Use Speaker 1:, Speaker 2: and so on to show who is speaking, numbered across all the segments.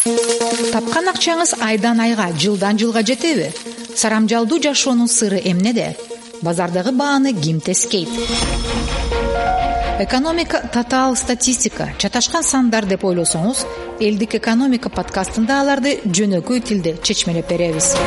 Speaker 1: Тапкан акчаңыз айдан айга, жылдан жылга жетеби? Сарамжалдуу жашоонун сыры эмнеде? Базардагы бааны ким тескейт? Экономика татаал статистика, чаташкан сандар деп ойлосоңуз, элдик экономика подкастында аларды жөнөкөй тилде чечмелеп беребиз.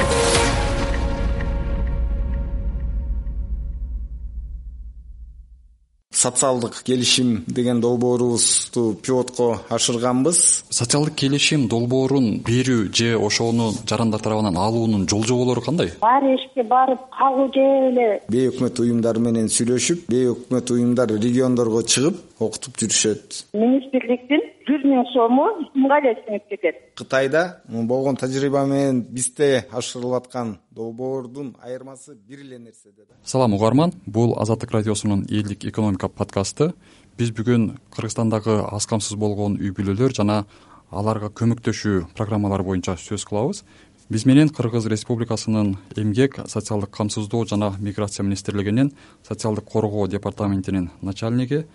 Speaker 2: Социалдык келишим деген долбоорубузду пилотко ашырганбыз.
Speaker 3: Социалдык келишим долбоорун берүү же ошону жарандар тарабынан алуунун жол-жоболору кандай?
Speaker 4: Ар эшикке барып кагуу же эле
Speaker 2: Бейөкмөт уюмдар менен сүйлөшүп, бейөкмөт уюмдар региондорго чыгып окутуп жүрүшөт.
Speaker 4: Министрликтин 100 000 сому кимге эле сиңип кетет.
Speaker 2: Кытайда болгон тажрыйба менен бизде ашырылып аткан долбоордун айырмасы бир эле нерседе да.
Speaker 3: Салам угарман, бул Азаттык радиосунун элдик экономика подкасты. Биз бүгүн Кыргызстандагы аз камсыз болгон үй бүлөлөр жана аларга көмөктөшүү программалары боюнча сөз кылабыз. Биз менен Кыргыз Республикасынын Эмгек, социалдык камсыздоо жана миграция министрлигинин социалдык коргоо департаментинин начальниги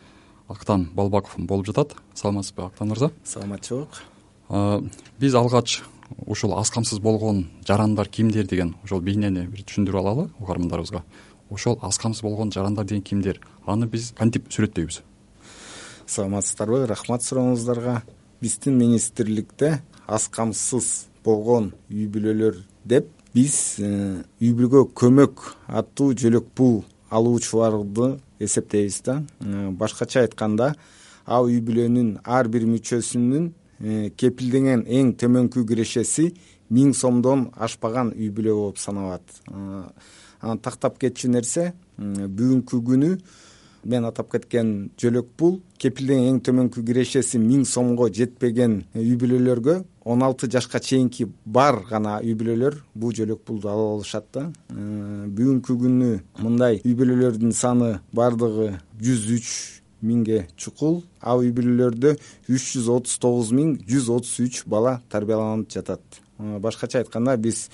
Speaker 3: Актан Балбаков болуп жатат. Саламатсызбы, Актан мырза?
Speaker 2: Саламатчылык.
Speaker 3: Биз алгач ушул аз камсыз болгон жарандар кимдер деген ошол бейнени бир түшүндүрүп алалы угармандарыбызга. Ошол аз камсыз болгон жарандар деген кимдер? Аны биз кантип сүрөттөйбүз?
Speaker 2: Саламатсыздарбы? Рахмат сурооңуздарга. Биздин министрликте аз камсыз болгон үй бүлөлөр деп биз үй бүлөгө көмөк аттуу жөлөк пул алуучуларды эсептейбиз да. Башкача айтканда, ал үй бүлөнүн ар бир мүчөсүнүн кепилденген эң төмөнкү кирешеси 1000 сомдон ашпаган үй бүлө болуп саналат. Анан тактап кетчү нерсе, бүгүнкү күнү мен атап кеткен жөлөк пул кепилденген эң төмөнкү кирешеси 1000 сомго жетпеген үй бүлөлөргө 16 жашка чейинки бар гана үй бүлөлөр бул жөлөк пулду ала алышат да. Бүгүнкү күнү мындай үй бүлөлөрдүн саны бардыгы 103 миңге чукул. Ал үй бүлөлөрдө 339 133 бала тарбияланып жатат. Башкача айтканда, биз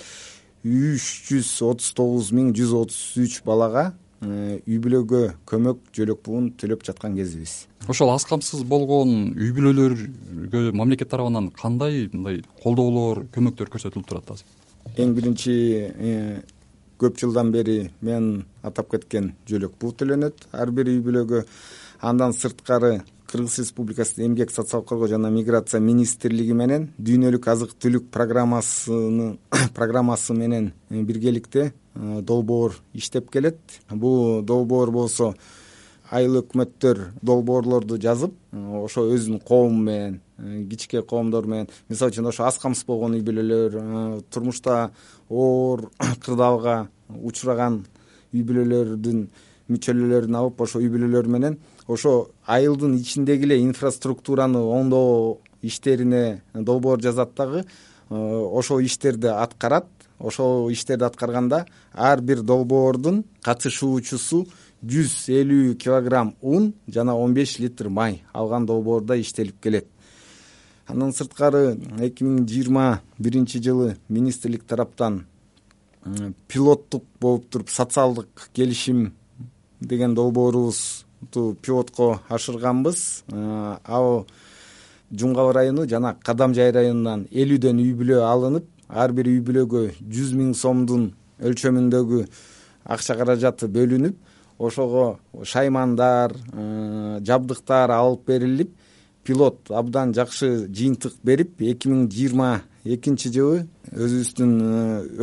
Speaker 2: 339 133 балага үй бүлөгө көмөк жөлөк пулун төлөп жаткан кезибиз.
Speaker 3: Ошол аз камсыз болгон үй бүлөлөргө мамлекет тарабынан кандай мындай колдоолор, көмөктөр көрсөтүлүп турат азыр?
Speaker 2: Эң биринчи көп жылдан бери мен атап кеткен жөлөк пул төлөнөт ар бир үй бүлөгө. Андан сырткары Кыргыз Республикасынын Эмгек, социалдык коргоо жана миграция министрлиги менен дүйнөлүк азык-түлүк программасы менен биргеликте долбоор иштеп келет. Бул долбоор болсо айыл өкмөттөр долбоорлорду жазып, ошо өзүнүн коому менен, кичке коомдор менен, мисалы үчүн ошо аз камсыз болгон үй бүлөлөр, турмушта оор кырдаалга учураган үй бүлөлөрдүн мүчөлөлөрүн алып, ошо үй бүлөлөр менен ошо айылдын ичиндеги эле инфраструктураны оңдоо иштерине долбоор жазат дагы, ошол иштерди аткарат. Ошол иштерди аткарганда ар бир долбоордун катышуучусу 150 килограмм ун жана 15 литр май алган долбоорда иштелип келет. Андан сырткары 2021 жылы министрлик тараптан пилоттук болуп туруп социалдык келишим деген долбоорубузду пилотко ашырганбыз. Ал Жумгабыл району жана Кадамжай районунан 50дөн үй бүлө алынып, ар бир үй бүлөгө 100 000 сомдун өлчөмүндөгү акча каражаты бөлүнүп, ошого шаймандар, жабдыктар алып берилип, пилот абдан жакшы жыйынтык берип, 2022 жылы өзүбүздүн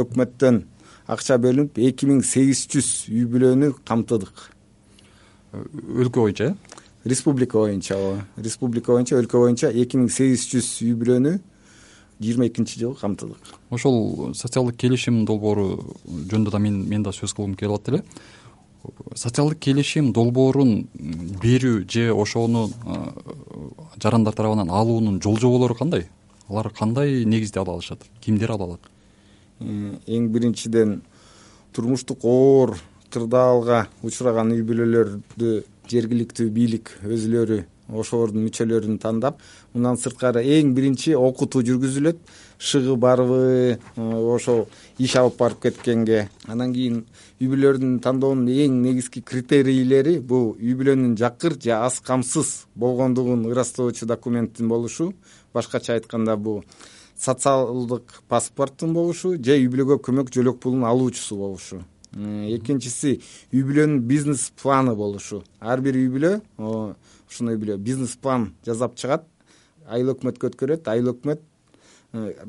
Speaker 2: өкмөттөн акча бөлүнүп 2800 үй бүлөнү камтыдык.
Speaker 3: Өлкө боюнча?
Speaker 2: Республика боюнча, өлкө боюнча 2800 үй бүлөнү 22 жылы камтыдык.
Speaker 3: Ошол социалдык келишим долбоору жөнүндө да мен да сөз кылгым келип атты эле. Социалдык келишим долбоорун берүү же ошону жарандар тарабынан алуунун жол-жоболору кандай? Алар кандай негизде ала алышат? Кимдер ала алат?
Speaker 2: Эң биринчиден турмуштук оор кырдаалга учураган үй бүлөлөрдү жергиликтүү бийлик өзүлөрү ошолордун мүчөлөрүн тандап, мындан сырткары эң биринчи окутуу жүргүзүлөт. Шыгы барбы, ошол иш алып барып кеткенге. Андан кийин үй бүлөлөрдүн тандоонун эң негизги критерийлери бул үй бүлөнүн жакыр же аз камсыз болгондугун ырастоочу документтин болушу. башкача айтканда бул социалдык паспорттун болушу же үй бүлөгө көмөк жөлөк пулун алуучусу болушу. Экинчиси үй бүлөнүн бизнес планы болушу. Ар бир үй бүлө ушундай үй бүлө бизнес план жасап чыгат, айыл өкмөткө өткөрөт, айыл өкмөт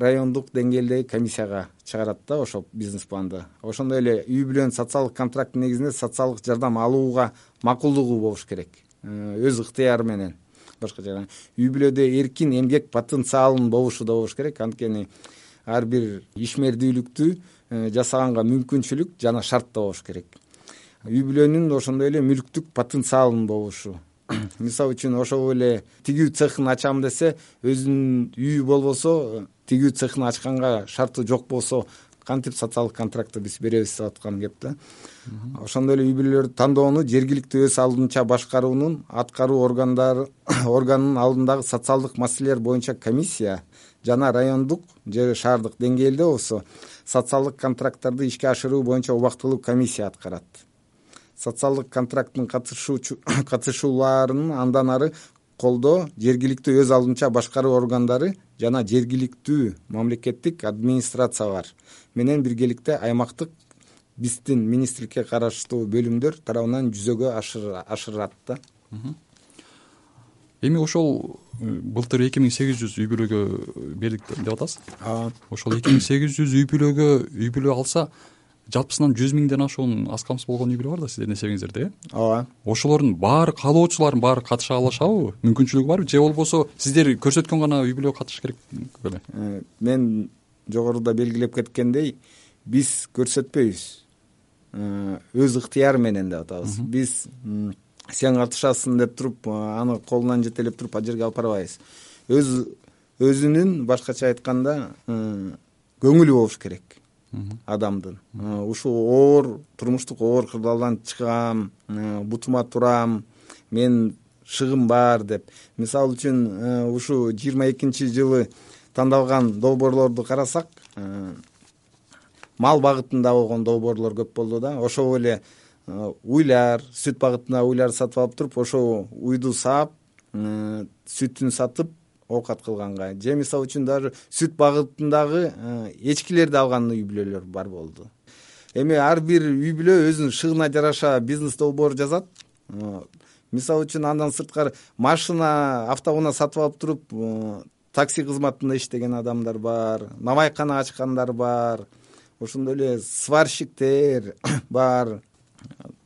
Speaker 2: райондук деңгээлдеги комиссияга чыгарат да ошол бизнес планды. Ошондой эле үй бүлөнүн социалдык контракттын негизинде социалдык жардам алууга макулдугу болуш керек, өз ыктыяры менен. Башкача айтканда үй бүлөдө эркин эмгек потенциалынын болушу да болуш керек, анткени ар бир ишмердүүлүктү жасаганга мүмкүнчүлүк жана шарт да болуш керек. Үй бүлөнүн ошондой эле мүлктүк потенциалынын болушу. Мисалы үчүн ошол эле тигүү цехин ачам десе, өзүнүн үйү болбосо, тигүү цехин ачканга шарты жок болсо, кантип социалдык контрактты биз беребиз деп аткан кеп да. Ошондой эле үй бүлөлөрдү тандоону жергиликтүү өз алдынча башкаруунун аткаруу органынын алдындагы социалдык маселелер боюнча комиссия жана райондук же шаардык деңгээлде болсо социалдык контракттарды ишке ашыруу боюнча убактылуу комиссия аткарат. Социалдык контракттын катышууларын андан ары колдоо жергиликтүү өз алдынча башкаруу органдары жана жергиликтүү мамлекеттик администрациялар менен биргеликте аймактык биздин министрликке караштуу бөлүмдөр тарабынан жүзөгө ашырат да.
Speaker 3: Эми ошол былтыр 2800 үй бүлөгө бердик деп атасыз. Ошол 2800 үй бүлө алса, жалпысынан 100 миңден ашуун аз камсыз болгон үй бүлө бар да сиздердин эсебиңиздерде, э?
Speaker 2: Ооба.
Speaker 3: Ошолордун баары каалоочулардын баары катыша алышабы? Мүмкүнчүлүгү барбы? Же болбосо сиздер көрсөткөн гана үй бүлө катышыш керек беле?
Speaker 2: Мен жогоруда белгилеп кеткендей, биз көрсөтпөйбүз. Өз ыктыяры менен деп атабыз. Биз сен катышасың деп туруп, аны колунан жетелеп туруп ал жерге алып барбайбыз. Өзүнүн башкача айтканда көңүлү болуш керек адамдын. Ушул турмуштук оор кырдаалдан чыгам, бутума турам, мен шыгым бар деп. Мисалы үчүн ушу 22-жылы тандалган долбоорлорду карасак, мал багытында болгон долбоорлор көп болду да. Ошол эле уйлар, сүт багытында уйлар сатып алып туруп, ошол уйду саап, сүтүн сатып оокат кылганга, же мисалы үчүн даже сүт багытындагы эчкилерди алган үй бүлөлөр бар болду. Эми ар бир үй бүлө өзүнүн шыгына жараша бизнес долбоор жазат. Мисалы үчүн андан сырткары машина, автоунаа сатып алып туруп, такси кызматында иштеген адамдар бар, навайкана ачкандар бар, ошондой эле сварщиктер бар.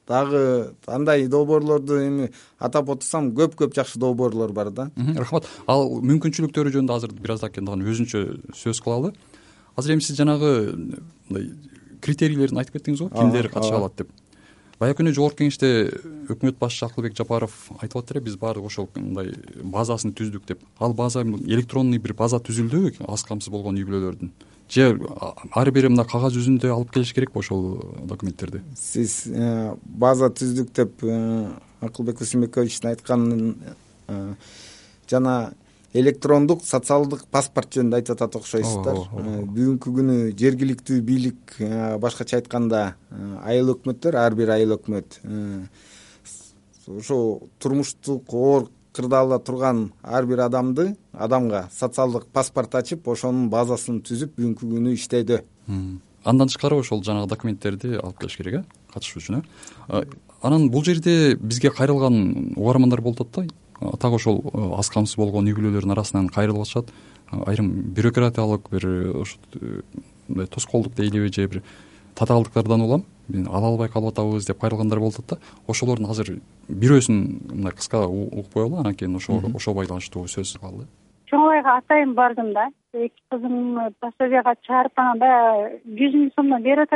Speaker 2: Дагы андай долбоорлорду эми атап отурсам, көп жакшы долбоорлор бар да.
Speaker 3: Рахмат. Ал мүмкүнчүлүктөрү жөнүндө азыр бир аздак дагы өзүнчө сөз кылалы. Азыр эми сиз жанагы критерийлерин айтып кеттиңиз го, кимдер катыша алат деп. Баягы күнү жогорку кеңеште өкмөт башчысы Акылбек Жапаров айтып аттыр, биз баардык ошол мындай базасын түздүк деп. Ал база электронный бир база түзүлдү аз камсыз болгон үй бүлөлөрдүн. Же ар бири мына кагаз жүзүндө алып келиш керекпи ошол документтерди? Сиз
Speaker 2: база түздүк деп Акылбек Усунбековичтин айтканын жана электрондук социалдык паспорт жөнүндө айтып атат окшойсуздар. Бүгүнкү күнү жергиликтүү бийлик, башкача айтканда айыл өкмөттөр, ар бир айыл өкмөт ошо турмуштук оор кырдаалда турган ар бир адамга социалдык паспорт ачып, ошонун базасын түзүп бүгүнкү күнү иштейдү.
Speaker 3: Андан тышкары ошол жанагы документтерди алып келиш керек, катышуу үчүн. Анан бул жерде бизге кайрылган угармандар болуп атат да. Так ошол аз камсыз болгон үй бүлөлөрдүн арасынан кайрылып атышат. Айрым бюрократиялык бир ошо тоскоолдук дейлиби же бир татаалдыктардан улам мен ала албай калып атабыз деп кайрылгандар болуп атат да. Ошолордун азыр бирөөсүн мындай кыска угуп коелу, анан кийин ошо байланыштуу сөз кылалы.
Speaker 4: Чоңайга атайын бардым да. Эки кызым пособияга чыгарып анан баягы 100 миң сомдон берип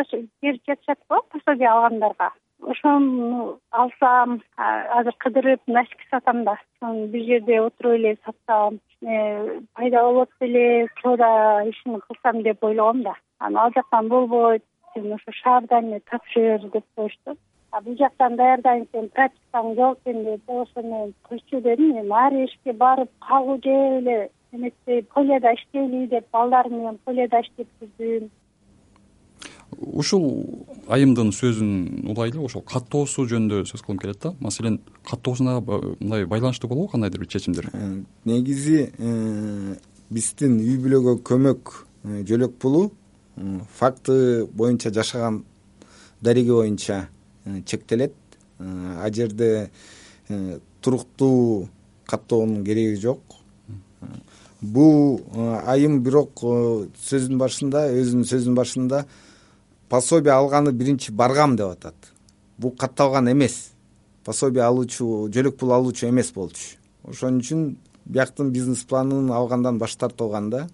Speaker 4: жатышат го пособия алгандарга. Ошону алсам, азыр кыдырып носки сатам да. Бир жерде отуруп эле сатсам, пайда болот беле, соода ишин кылсам деп ойлогом да. Анан ал жактан болбойт, сен ошо шаардан тапшыр деп коюшту. Бул жактан даярдайын, сен практикаң жок экен деп, ошо мен койчу дедим. Мен ар ишке барып калуу же эле эмесе полияда иштейли деп балдарым менен полияда иштеп жүрдүм.
Speaker 3: Ушул айымдын сөзүн улайлы, ошол каттоосу жөнүндө сөз кылгым келет да. Маселен, каттоосуна мындай байланыштуу болобу кандайдыр бир чечимдер?
Speaker 2: Негизи биздин үй бүлөгө көмөк жөлөк пулу факты боюнча жашаган дареги боюнча чектелет. Ал жерде туруктуу каттоонун кереги жок. Бул айым бирок өзүнүн сөзүнүн башында пособие алганы биринчи баргам деп атат. Бул катталган эмес. Пособие алуучу, жөлөк пул алуучу эмес болчу. Ошон үчүн бияктын бизнес планын алгандан баш тартылган да.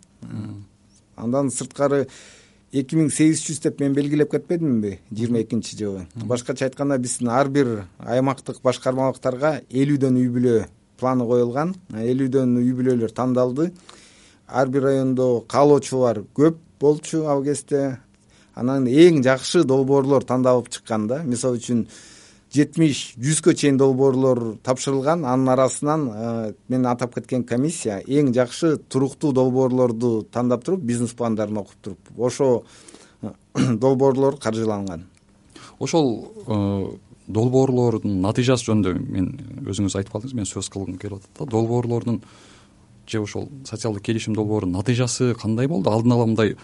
Speaker 2: Андан сырткары 2800 деп мен белгилеп кетпедимби 22-жылы. Башкача айтканда биздин ар бир аймактык башкармалыктарга 50дөн үй бүлө планы коюлган. 50дөн үй бүлөлөр тандалды. Ар бир райондо каалоочулар көп болчу ал кезде. Анан эң жакшы долбоорлор тандалып чыккан да. Мисалы үчүн 70-100гө чейин долбоорлор тапшырылган. Анын арасынан мен атап кеткен комиссия эң жакшы туруктуу долбоорлорду тандап туруп, бизнес пландарын окуп туруп, ошо долбоорлор каржыланган.
Speaker 3: Ошол долбоорлордун натыйжасы жөнүндө мен өзүңүз айтып калдыңыз, мен сөз кылгым келип атат да. Долбоорлордун же ошол социалдык келишим долбоорунун натыйжасы кандай болду? Алдын ала мындай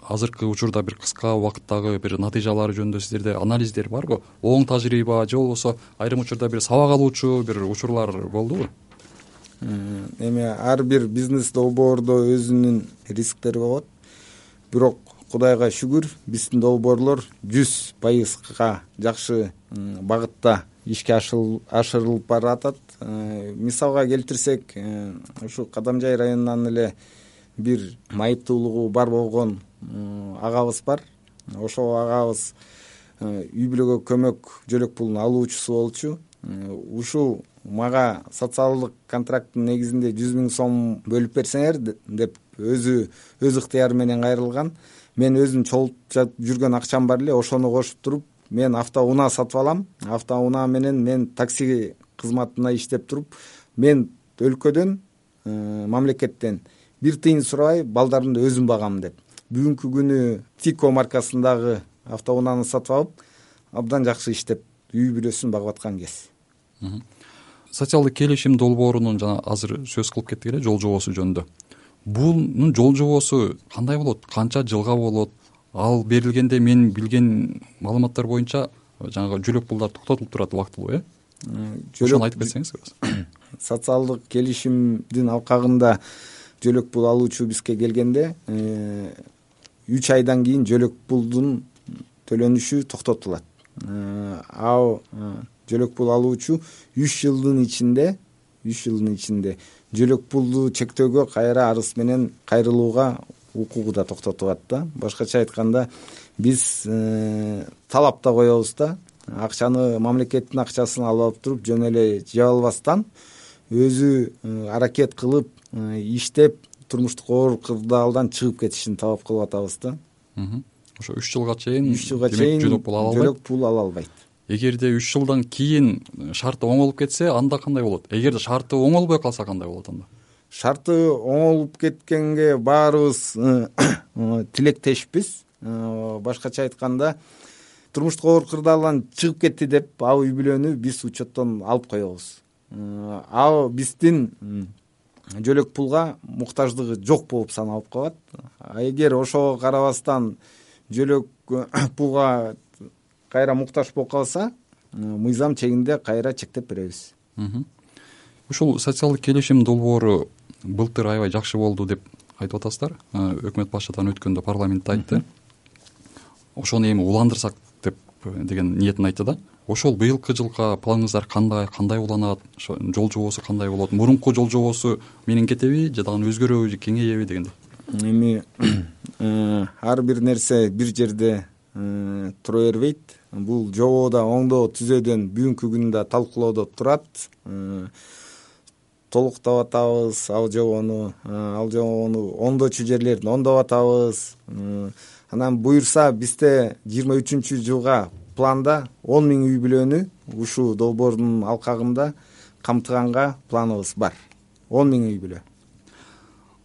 Speaker 3: азыркы учурда бир кыска убакыттагы бир натыйжалары жөнүндө сиздерде анализдер барбы? Оң тажрыйба же болбосо айрым учурда бир сабак алуучу бир учурлар болдубу?
Speaker 2: Эми ар бир бизнес долбоордо өзүнүн рисктери болот. Бирок Кудайга шүгүр, биздин долбоорлор 100%га жакшы багытта ишке ашырылып баратат. Мисалга келтирсек, ушу Кадамжай районунан эле бир майыптуулугу бар болгон агабыз бар. Ошол агабыз үй бүлөгө көмөк жөлөк пулун алуучусу болчу. Ушул мага социалдык контракттын негизинде 100 000 сом бөлүп берсеңер деп өзү ыктыяры менен кайрылган. Мен өзүм чогултуп жүргөн акчам бар эле, ошону кошуп туруп мен автоунаа сатып алам. Автоунаа менен мен такси кызматына иштеп туруп, мен өлкөдөн, мамлекеттен бир тыйын сурабай балдарымды өзүм багам деп. Бүгүнкү күнү Тико маркасындагы автоунааны сатып алып, абдан жакшы иштеп, үй бүлөсүн багып аткан кез.
Speaker 3: Социалдык келишим долбоорунун жана азыр сөз кылып кеттик эле жол жобосу жөнүндө. Бунун жол жобосу кандай болот? Канча жылга болот? Ал берилгенде мен билген маалыматтар боюнча жанагы жөлөк пулдар токтотулуп турат убактылуу, ошону айтып кетсеңиз.
Speaker 2: Социалдык келишимдин алкагында жөлөк пул алуучу бизге келгенде 3 айдан кийин жөлөк пулдун төлөнүшү токтотулат. Ал жөлөк пул алуучу 3 жылдын ичинде жөлөк пулду чектөөгө кайра арыз менен кайрылууга укугу да токтотулат да. Башкача айтканда биз талап да коебуз да. Акчаны мамлекеттин акчасын алып алып туруп жөн эле жеп албастан өзү аракет кылып иштеп турмуштук оор кырдаалдан чыгып кетишин талап кылып атабыз да.
Speaker 3: Ошо 3 жылга чейин
Speaker 2: жөлөк пул ала албайт.
Speaker 3: Эгерде 3 жылдан кийин шарты оңолуп кетсе, анда кандай болот? Эгерде шарты оңолбой калса кандай болот анда?
Speaker 2: Шарты оңолуп кеткенге баарыбыз тилектешпиз. Башкача айтканда, турмуштук оор кырдаалдан чыгып кетти деп ал үй бүлөнү биз учеттон алып коебуз. Ал биздин жөлөк пулга муктаждыгы жок болуп саналып калат. Эгер ошого карабастан жөлөк пулга кайра муктаж болуп калса, мыйзам чегинде кайра чектеп беребиз.
Speaker 3: Ушул социалдык келишим долбоору былтыр аябай жакшы болду деп айтып атасыздар. Өкмөт башчыдан өткөндө парламентте айтты. Ошону эми уландырсак деп деген ниетин айтты да. Ошол быйылкы жылга планыңыздар кандай уланат? Жол жобосу кандай болот? Мурунку жол жобосу менен кетеби же дагы өзгөрөбү же кеңейеби дегендей.
Speaker 2: Эми ар бир нерсе бир жерде тура бербейт. Бул жободо оңдоо түзөөдөн бүгүнкү күндө талкуулоодо турат. Толуктап атабыз ал жобону оңдочу жерлерин оңдоп атабыз. Анан буюрса бизде 23-жылга планда 10 000 үй бүлөнү ушул долбоордун алкагында камтыганга планыбыз бар. 10 000 үй бүлө.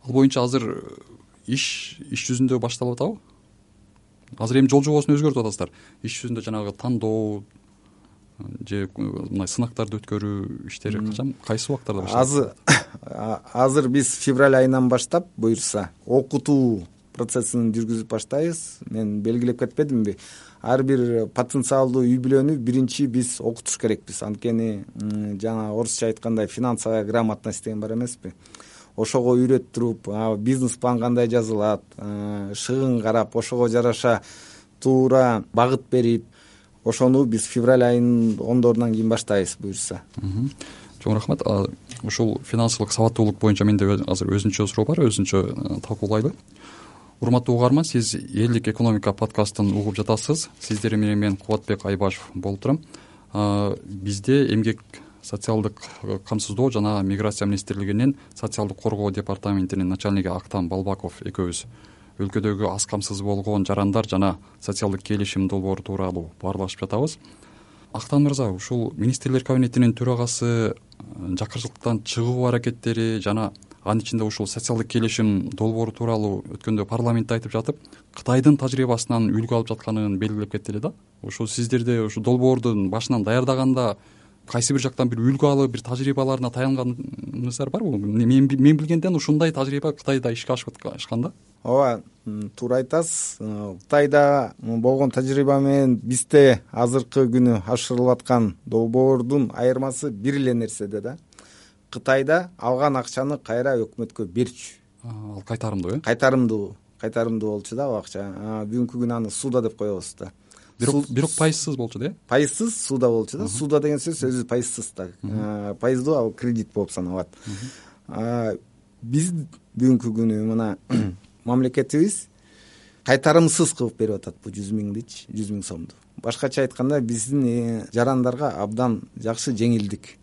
Speaker 3: Ал боюнча азыр иш жүзүндө башталып атабы? Азыр эми жол жобосун өзгөртүп атасыздар. Иш жүзүндө жанагы тандоо же мындай сынактарды өткөрүү иштери качан, кайсы убактарда башталат?
Speaker 2: Азыр биз февраль айынан баштап буюрса окутуу процессин жүргүзүп баштайбыз. Мен белгилеп кетпедимби? Ар бир потенциалдуу үй бүлөнү биринчи биз окутуш керекпиз. Анткени жана орусча айткандай финансовая грамотность деген бар эмеспи? Ошого үйрөттүрүп, бизнес план кандай жазылат, шыгын карап, ошого жараша туура багыт берип, ошону биз февраль айынын 10-дорунан кийин баштайбыз буюрса.
Speaker 3: Чоң рахмат. Ушул финансылык сабаттуулук боюнча менде азыр өзүнчө суроо бар, өзүнчө талкуулайлы. Урматтуу угарман, сиз Элдик экономика подкастын угуп жатасыз. Сиздер менен мен Кубатбек Айбашев болуп турам. Бизде эмгек, социалдык камсыздоо жана миграция министрлигинин социалдык коргоо департаментинин начальниги Актан Балбаков экөөбүз өлкөдөгү аз камсыз болгон жарандар жана социалдык келишим долбоору тууралуу баарлашып жатабыз. Актан мырза, ушул министрлер кабинетинин төрагасы жакырчылыктан чыгуу аракеттери жана анын ичинде ушул социалдык келишим долбоору тууралуу өткөндө парламентте айтып жатып, Кытайдын тажрыйбасынан үлгү алып жатканын белгилеп кетти эле да. Ошол сиздерде ушул долбоордун башынан даярдаганда кайсы бир жактан бир үлгү алып, бир тажрыйбаларына таянганыңыздар барбы? Мен билгенден ушундай тажрыйба Кытайда ишке ашкан да.
Speaker 2: Ооба, туура айтасыз. Кытайда болгон тажрыйба менен бизде азыркы күнү ашырылып аткан долбоордун айырмасы бир эле нерседе да. Кытайда алган акчаны кайра өкмөткө берчү.
Speaker 3: Ал кайтарымдуу,
Speaker 2: Кайтарымдуу болчу да ал акча. Бүгүнкү күнү аны сууда деп коебуз да.
Speaker 3: Бирок пайызсыз болчу да.
Speaker 2: Пайызсыз сууда болчу да. Сууда деген сөз өзү пайызсыз да. Пайыздуу ал кредит болуп саналат. Биз бүгүнкү күнү мына мамлекетибиз кайтарымсыз кылып берип атат бул 100 миң сомду. Башкача айтканда биздин жарандарга абдан жакшы жеңилдик.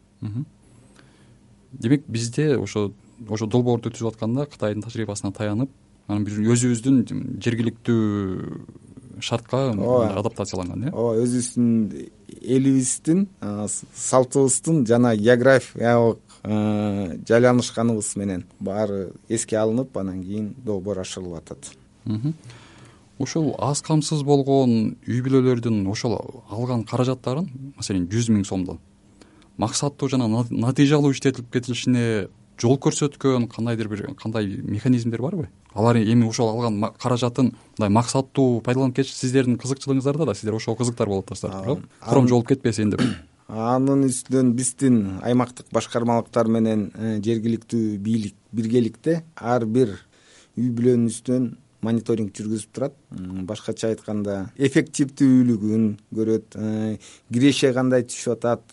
Speaker 3: Демек бизде ошо долбоорду түзүп атканда Кытайдын тажрыйбасына таянып, анан биз өзүбүздүн жергиликтүү шартка адаптацияланган, э?
Speaker 2: Ооба, өзүбүздүн элибиздин, салтыбыздын жана географиялык жайланышканыбыз менен баары эске алынып, анан кийин долбоор ашырылып атат.
Speaker 3: Ошол аз камсыз болгон үй бүлөлөрдүн ошол алган каражаттарын, маселен 100 миң сомдон максаттуу жана натыйжалуу иштетилип кетилишине жол көрсөткөн кандай механизмдер барбы? Алар эми ошол алган каражатын мындай максаттуу пайдаланып кетиш сиздердин кызыкчылыгыңыздарда да, сиздер ошого кызыктар болуп атасыздар, коромжолуп кетпесин деп.
Speaker 2: Анын үстүнөн биздин аймактык башкармалыктар менен жергиликтүү бийлик биргеликте ар бир үй бүлөнүн үстүнөн мониторинг жүргүзүп турат. Башкача айтканда эффективдүүлүгүн көрөт, киреше кандай түшүп атат,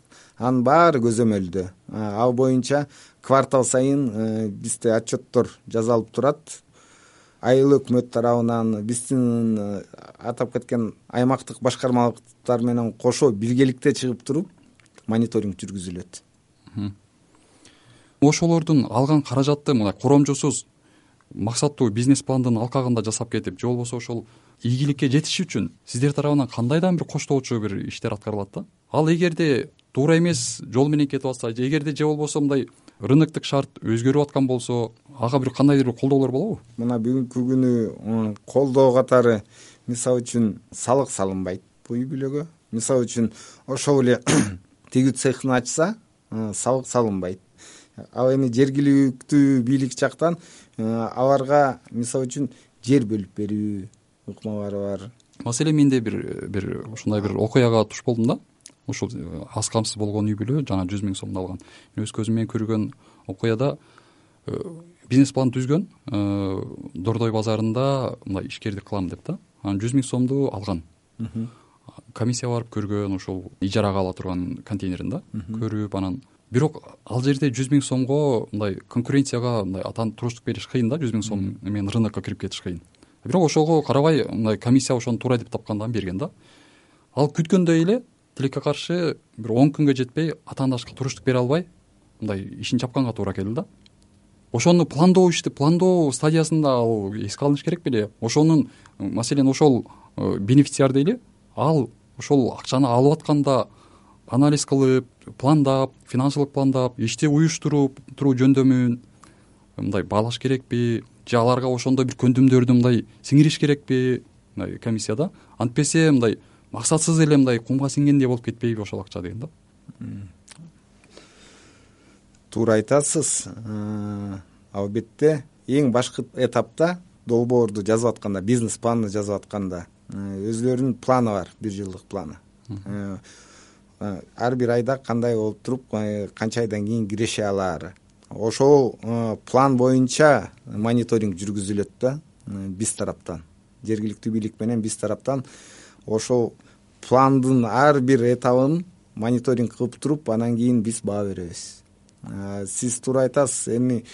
Speaker 2: анын баары көзөмөлдө. Ал боюнча квартал сайын бизде отчеттор жасалып турат. Айыл өкмөт тарабынан биздин атап кеткен аймактык башкармалыктар менен кошо биргеликте чыгып туруп мониторинг жүргүзүлөт.
Speaker 3: Ошолордун алган каражатты мындай коромжусуз максаттуу бизнес пландын алкагында жасап кетип, же болбосо ошол ийгиликке жетиш үчүн сиздер тарабынан кандайдан бир коштоочу бир иштер аткарылат да? Ал эгерде туура эмес жол менен кетип атса, эгерде же болбосо мындай рыноктук шарт өзгөрүп аткан болсо, ага бир кандайдыр бир колдоолор болобу?
Speaker 2: Мына бүгүнкү күнү колдоо катары мисалы үчүн салык салынбайт бул үй бүлөгө. Мисалы үчүн ошол эле тигүү цехин ачса, салык салынбайт. Ал эми жергиликтүү бийлик жактан аларга мисалы үчүн жер бөлүп берүү ыкмалары бар.
Speaker 3: Маселен менде бир ушундай бир окуяга туш болдум да. Ушул аз камсыз болгон үй бүлө жана 100 миң сомду алган. Мен өз көзүм менен көргөн окуяда бизнес план түзгөн, Дордой базарында мындай ишкердик кылам деп да. Анан 100 миң сомду алган. Комиссия барып көргөн, ошол ижарага ала турган контейнерин да көрүп, анан бирок ал жерде 100 миң сомго мындай конкуренцияга мындай туруштук бериш кыйын да, 100 миң сом менен рынокко кирип кетиш кыйын. Бирок ошого карабай мындай комиссия ошону туура деп тапкандан берген да. Ал күткөндөй эле тилекке каршы бир 10 күнгө жетпей атаандашка туруштук бере албай мындай ишин чапканга туура келди да. Ошону пландоо стадиясында ал эске алыныш керек беле? Ошонун маселен ошол бенефициар дейли, ал ошол акчаны алып атканда анализ кылып, пландап, финансылык пландап, ишти уюштуруп туруу жөндөмүн мындай баалаш керекпи, же аларга ошондой бир көндүмдөрдү мындай сиңириш керекпи мындай комиссияда? Антпесе мындай максатсыз эле мындай кумга сиңгендей болуп кетпейби ошол акча деген да?
Speaker 2: туура айтасыз. Албетте эң башкы этапта долбоорду жазып атканда, бизнес планды жазып атканда өзлөрүнүн планы бар, 1 жылдык планы. Ар бир айда кандай болуп туруп, канча айдан кийин киреше алаары. Ошол план боюнча мониторинг жүргүзүлөт да, биз тараптан, жергиликтүү бийлик менен биз тараптан ошол пландын ар бир этабын мониторинг кылып туруп, анан кийин биз баа беребиз. Сиз туура айтасыз, эми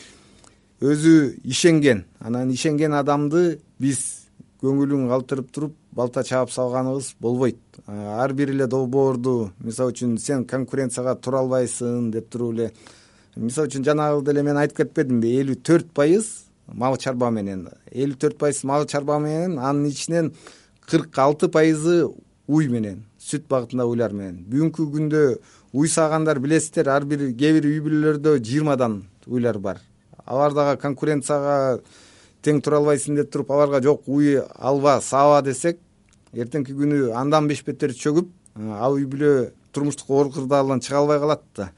Speaker 2: өзү ишенген, анан ишенген адамды биз көңүлүн калтырып туруп балта чаап салганыбыз болбойт. Ар бир эле долбоорду, мисалы үчүн сен конкуренцияга тура албайсың деп туруп эле, мисалы үчүн жанагы деле мен айтып кетпедимби, 54% мал чарба менен, 54% мал чарба менен, анын ичинен 46% уй менен, сүт багытында уйлар менен. Бүгүнкү күндө уй саагандар билесиздер, ар бир кээ бир үй бүлөлөрдө 20дан уйлар бар. Алар дагы конкуренцияга тең тура албайсың деп туруп, аларга жок уй алба, сааба десек, эртеңки күнү андан беш-бетер чөгүп, ал үй бүлө турмуштук оор кырдаалдан чыга албай калат да.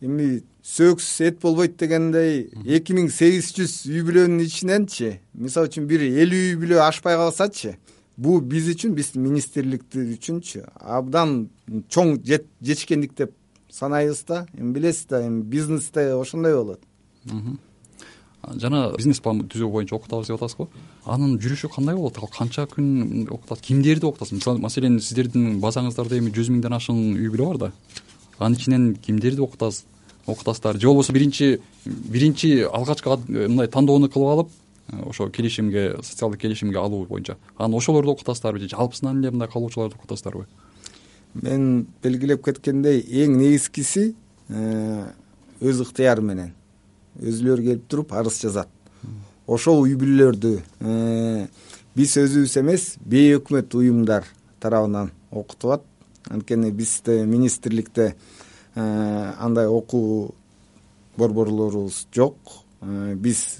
Speaker 2: Эми сөксүз эт болбойт дегендей, 2800 үй бүлөнүн ичиненчи, мисалы үчүн бир 50 үй бүлө ашпай калсачы, бул биз үчүн, биз министрликтер үчүнчү абдан чоң жетишкендик деп санайбыз да. Эми билесиз да, эми бизнесте ошондой болот.
Speaker 3: Жана бизнес план түзүү боюнча окутабыз деп атасыз го. Анын жүрүшү кандай болот? Ал канча күн окутат? Кимдерди окутасыз? Маселен, сиздердин базаңыздарда эми 100 миңден ашык үй бүлө бар да. Анын ичинен кимдерди окутасыздар? Же болбосо биринчи алгачкы мындай тандоону кылып алып, ошо келишимге, социалдык келишимге алуу боюнча анан ошолорду окутасыздарбы же жалпысынан эле мындай калуучуларды окутасыздарбы?
Speaker 2: Мен белгилеп кеткендей, эң негизгиси өз ыктыяры менен өзүлөрү келип туруп арыз жазат. Ошол үй бүлөлөрдү биз өзүбүз эмес, бейөкмөт уюмдар тарабынан окутулат. Анткени бизде министрликте андай окуу борборлорубуз жок. Биз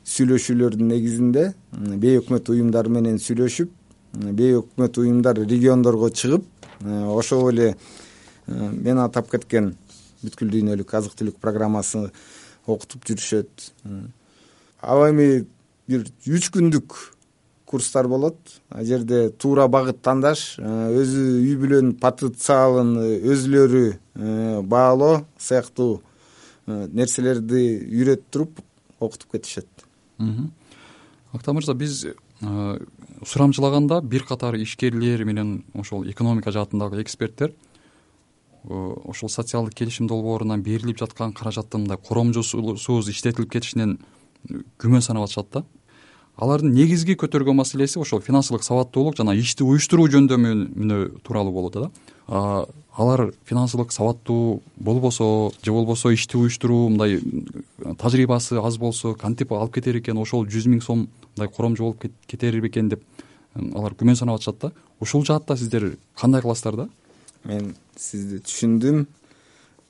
Speaker 2: сүйлөшүүлөрдүн негизинде бейөкмөт уюмдар менен сүйлөшүп, бейөкмөт уюмдар региондорго чыгып, ошол эле мен атап кеткен бүткүл дүйнөлүк азык түлүк программасын окутуп жүрүшөт. Ал эми бир 3 күндүк курстар болот. Ал жерде туура багыт тандаш, өзү үй бүлөнүн потенциалын өзүлөрү баалоо сыяктуу нерселерди үйрөтүп туруп окутуп кетишет.
Speaker 3: Актаа мырза, биз сурамчылаганда бир катар ишкерлер менен ошол экономика жаатындагы эксперттер ошол социалдык келишим долбоорунан берилип жаткан каражаттын мындай коромжусуз иштетилип кетишинен күмөн санап атышат да. Алардын негизги көтөргөн маселеси ошол финансылык сабаттуулук жана ишти уюштуруу жөндөмүнө тууралуу болот да. Алар финансылык сабаттуу болбосо же болбосо ишти уюштуруу мындай тажрыйбасы аз болсо кантип алып кетер экен, ошол 100 миң сом мындай коромжу болуп кетер бекен деп алар күмөн санап атышат да. Ушул жаатта сиздер кандай кыласыздар да?
Speaker 2: Мен сизди түшүндүм.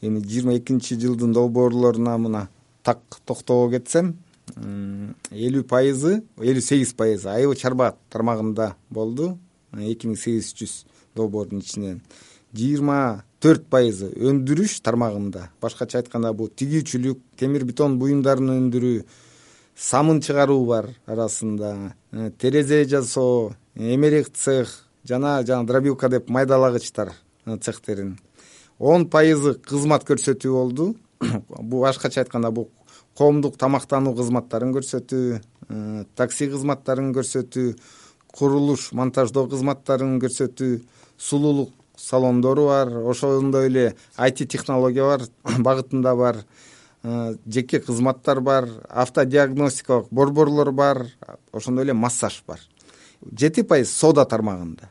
Speaker 2: Эми 22-жылдын долбоорлоруна мына так токтоого кетсем, 50%, 58% айыл чарба тармагында болду. 2800 долбоордун ичинен 24% өндүрүш тармагында. Башкача айтканда бул тигүүчүлүк, темир бетон буюмдарын өндүрүү, самын чыгаруу бар арасында, терезе жасоо, эмерек цех жана дробилка деп майдалагычтар цехтерин. 10% кызмат көрсөтүү болду. Бул башкача айтканда бул коомдук тамактануу кызматтарын көрсөтүү, такси кызматтарын көрсөтүү, курулуш, монтаждоо кызматтарын көрсөтүү, сулуулук салондору бар, ошондой эле IT технология бар, багытында бар, жеке кызматтар бар, автодиагностикалык борборлор бар, ошондой эле массаж бар. 7% соода тармагында.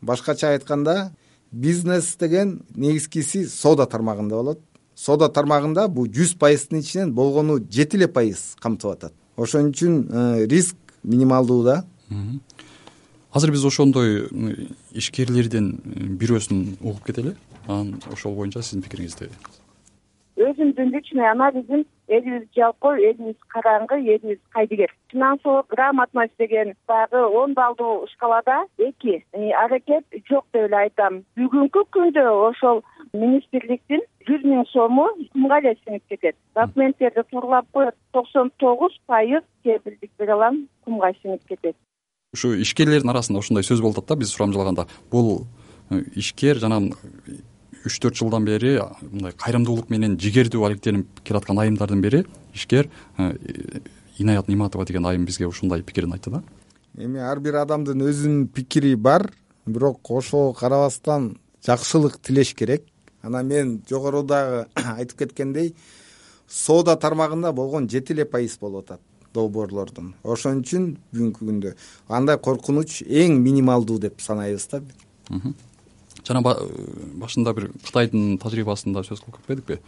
Speaker 2: Башкача айтканда, бизнес деген негизгиси соода тармагында болот. Соода тармагында бул 100%-дын ичинен болгону 7% камтып атат. Ошон үчүн риск минималдуу да.
Speaker 3: Азыр биз ошондой ишкерлердин бирөөсүн угуп кетели. Анан ошол боюнча сиздин пикириңизди.
Speaker 4: Өзүмдүн личный анализим элибиз жалкоо, элибиз караңгы, элибиз кайдыгер. Финансылык грамотность деген дагы 10 баллдуу шкалада 2. Аракет жок деп эле айтам. Бүгүнкү күндө ошол министрликтин 100 000 сому кумга эле сиңип кетет. Документтерди тууралап коет, 99% кепилдик бере алам, кумга сиңип кетет.
Speaker 3: Ушу ишкерлердин арасында ушундай сөз болуп атат да, биз сурамжылганда. Бул ишкер жана 3-4 жылдан бери мындай кайрымдуулук менен жигердүү алектенип келаткан айымдардын бири ишкер Инаят Ниматова деген айым бизге ушундай пикирин айтты да.
Speaker 2: Эми ар бир адамдын өзүнүн пикири бар, бирок ошого карабастан жакшылык тилеш керек. Анан мен жогорудагы айтып кеткендей, соода тармагында болгон 7% болуп атат долбоорлордун. Ошон үчүн бүгүнкү күндө андай коркунуч эң минималдуу деп санайбыз да.
Speaker 3: Жана башында бир Кытайдын тажрыйбасында сөз кылып кетпедикпи?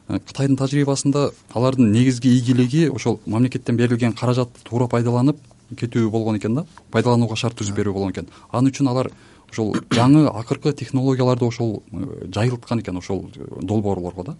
Speaker 3: Кытайдын тажрыйбасында алардын негизги ийгилиги ошол мамлекеттен берилген каражатты туура пайдаланып кетүү болгон экен да, пайдаланууга шарт түзүп берүү болгон экен. Анын үчүн алар ошол жаңы акыркы технологияларды ошол жайылткан экен ошол долбоорлорго да.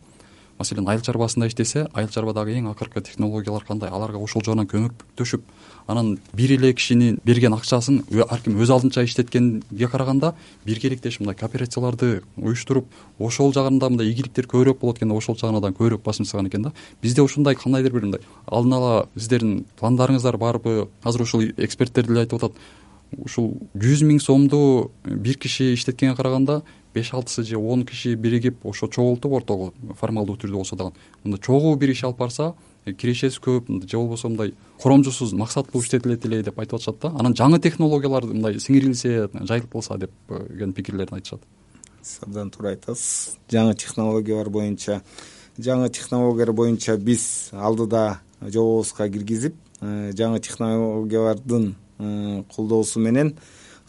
Speaker 3: Маселен, айыл чарбасында иштесе, айыл чарбадагы эң акыркы технологиялар кандай, аларга ошол жагынан көмөктөшүп, анан бир эле кишинин берген акчасын ар ким өз алдынча иштеткенге караганда биргеликтешип мындай кооперацияларды уюштуруп, ошол жагында мындай ийгиликтер көбүрөөк болот экен да, ошол жагынан көбүрөөк басым жасаган экен да. Бизде ушундай кандайдыр бир мындай алдын ала сиздердин пландарыңыздар барбы? Азыр ушул эксперттер деле айтып атат, ушул 100 000 сомду бир киши иштеткенге караганда 5-6 же 10 киши биригип ошо чогултуп ортого формалдуу түрдө болсо дагы мындай чогуу бир иш алып барса, кирешеси көп же болбосо мындай коромжусуз максаттуу иштетилет эле деп айтып атышат да. Анан жаңы технологиялар мындай сиңирилсе, жайылтылса деген пикирлерин айтышат.
Speaker 2: Абдан туура айтасыз. Жаңы технологиялар боюнча биз алдыда жобобузга киргизип, жаңы технологиялардын колдоосу менен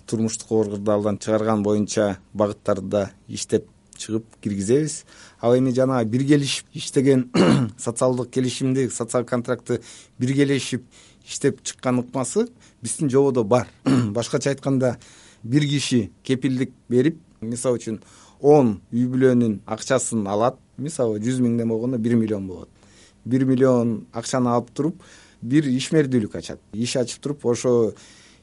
Speaker 2: турмуштук оорукалдан чыгарган боюнча багыттарда иштеп чыгып киргизебиз. Ал эми жана биргелешип иштеген социалдык келишимди, социалдык контрактты биргелешип иштеп чыккан ыкмасы биздин жободо бар. Башкача айтканда, бир киши кепилдик берип, мисалы үчүн 10 үй бүлөнүн акчасын алат. Мисалы 100 000ден болгондо 1 миллион болот. 1 миллион акчаны алып туруп, бир ишмердүүлүк ачат. Иш ачып туруп, ошо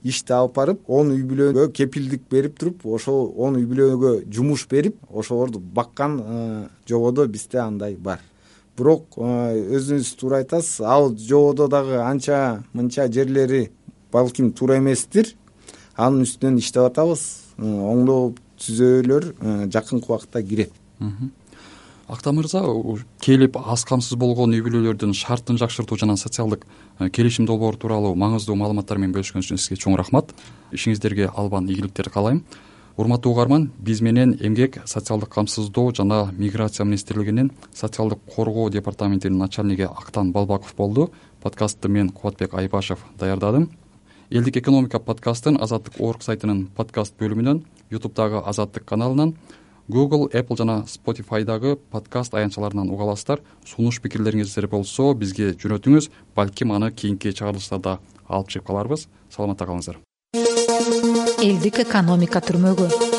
Speaker 2: ишти алып барып, 10 үй бүлөгө кепилдик берип туруп, ошол 10 үй бүлөгө жумуш берип, ошолорду баккан жободо бизде андай бар. Бирок өзүңүз туура айтасыз, ал жободо дагы анча мынча жерлери балким туура эместир. Анын үстүнөн иштеп атабыз. Оңдоо түзөөлөр жакынкы убакытта кирет.
Speaker 3: Акта мырза, келип аз камсыз болгон үй бүлөлөрдүн шартын жакшыртуу жана социалдык келишим долбоору тууралуу маңыздуу маалыматтар менен бөлүшкөнүңүз үчүн сизге чоң рахмат. Ишиңиздерге албан ийгиликтерди каалайм. Урматтуу угарман, биз менен Эмгек, социалдык камсыздоо жана миграция министрлигинин социалдык коргоо департаментинин начальниги Актан Балбаков болду. Подкастты мен Кубатбек Айбашев даярдадым. Элдик экономика подкастын Азаттык орг сайтынын подкаст бөлүмүнөн, YouTube'дагы Азаттык каналынан, Google, Apple жана Spotify'дагы подкаст аянтчаларынан уга аласыздар. Сунуш пикирлериңиздер болсо бизге жөнөтүңүз, балким аны кийинки чыгарылыштарда алып чыгып каларбыз. Саламатта калыңыздар.
Speaker 1: Элдик экономика түрмөгү.